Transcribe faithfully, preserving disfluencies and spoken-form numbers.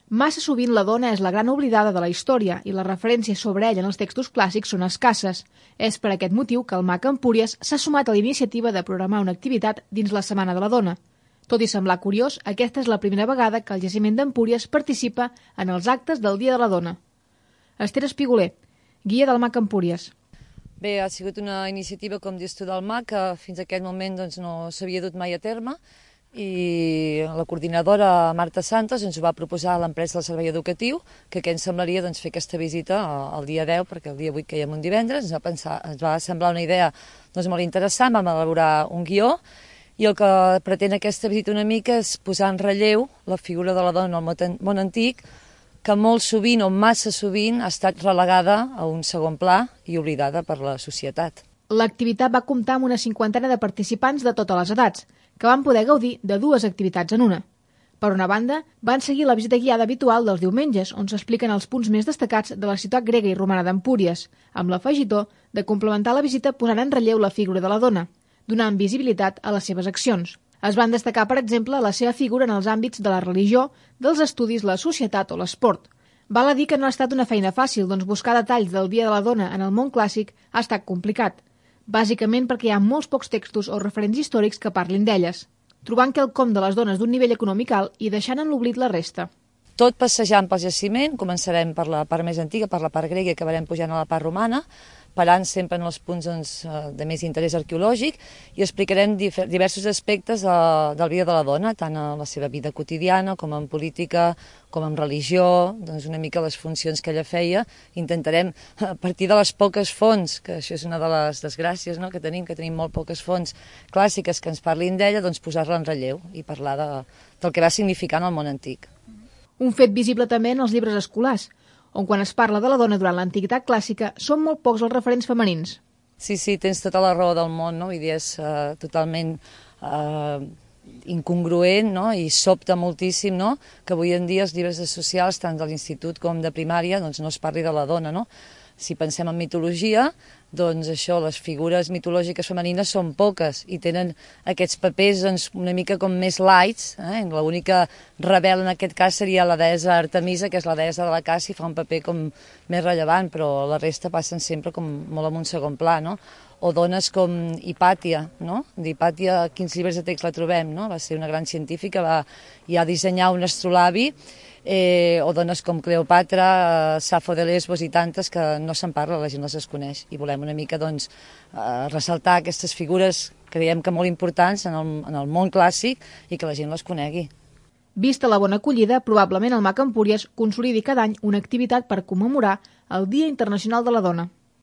Massa sovint la dona és la gran oblidada de la història i les referències sobre ella en els textos clàssics són escasses. És per aquest motiu que el M A C Empúries s'ha sumat a la iniciativa de programar una activitat dins la Setmana de la Dona. Tot i semblar curiós, aquesta és la primera vegada que el Jaciment d'Empúries participa en els actes del Dia de la Dona. Esther Espiguler, guia del M A C Empúries. Bé, ha sigut una iniciativa, com dius tu, del M A C, que fins a aquest moment doncs, no s'havia dut mai a terme, i la coordinadora Marta Santos ens ho va proposar a l'empresa del servei educatiu, que què ens semblaria doncs, fer aquesta visita el dia deu, perquè el dia vuit caiem un divendres, ens va, pensar, ens va semblar una idea doncs, molt interessant, vam elaborar un guió, i el que pretén aquesta visita una mica és posar en relleu la figura de la dona al món antic, que molt sovint o massa sovint ha estat relegada a un segon pla i oblidada per la societat. L'activitat va comptar amb una cinquantena de participants de totes les edats, que van poder gaudir de dues activitats en una. Per una banda, van seguir la visita guiada habitual dels diumenges, on s'expliquen els punts més destacats de la ciutat grega i romana d'Empúries, amb l'afegitó de complementar la visita posant en relleu la figura de la dona, donant visibilitat a les seves accions. Es van destacar, per exemple, la seva figura en els àmbits de la religió, dels estudis, la societat o l'esport. Val a dir que no ha estat una feina fàcil, doncs buscar detalls del Dia de la Dona en el món clàssic ha estat complicat, bàsicament perquè hi ha molts pocs textos o referents històrics que parlin d'elles, trobant quelcom de les dones d'un nivell econòmic alt i deixant en l'oblit la resta. Tot passejant pel jaciment, començarem per la part més antiga, per la part grega, i acabarem pujant a la part romana, parant sempre en els punts doncs, de més interès arqueològic, i explicarem diversos aspectes de, del vida de la dona, tant en la seva vida quotidiana, com en política, com en religió, doncs una mica les funcions que ella feia. Intentarem, a partir de les poques fonts, que això és una de les desgràcies no?, que tenim, que tenim molt poques fonts clàssiques que ens parlin d'ella, doncs posar-la en relleu i parlar de, del que va significar en el món antic. Un fet visible també en els llibres escolars, on quan es parla de la dona durant l'antiguitat clàssica són molt pocs els referents femenins. Sí, sí, tens tota la raó del món, no? Vull dir, és uh, totalment uh, incongruent, no? I sobta moltíssim, no?, que avui en dia els llibres socials, tant de l'institut com de primària, doncs no es parli de la dona, no? Si pensem en mitologia, doncs això, les figures mitològiques femenines són poques i tenen aquests papers doncs, una mica com més lights. Eh? L'única rebel en aquest cas seria la deessa Artemisa, que és la deessa de la caça, i fa un paper com més rellevant, però la resta passen sempre com molt en un segon pla, no? O dones com Hipàtia, no? D'Hipàtia, a quins llibres de text la trobem, no? Va ser una gran científica, va ja dissenyar un astrolabi, eh, o dones com Cleopatra, eh, Safo de Lesbos i tantes que no se'n parla, la gent les desconeix, i volem una mica doncs, eh, ressaltar aquestes figures que creiem que molt importants en el, en el món clàssic i que la gent les conegui. Vista la bona acollida, probablement el M A C Empúries consolidi cada any una activitat per commemorar el Dia Internacional de la Dona.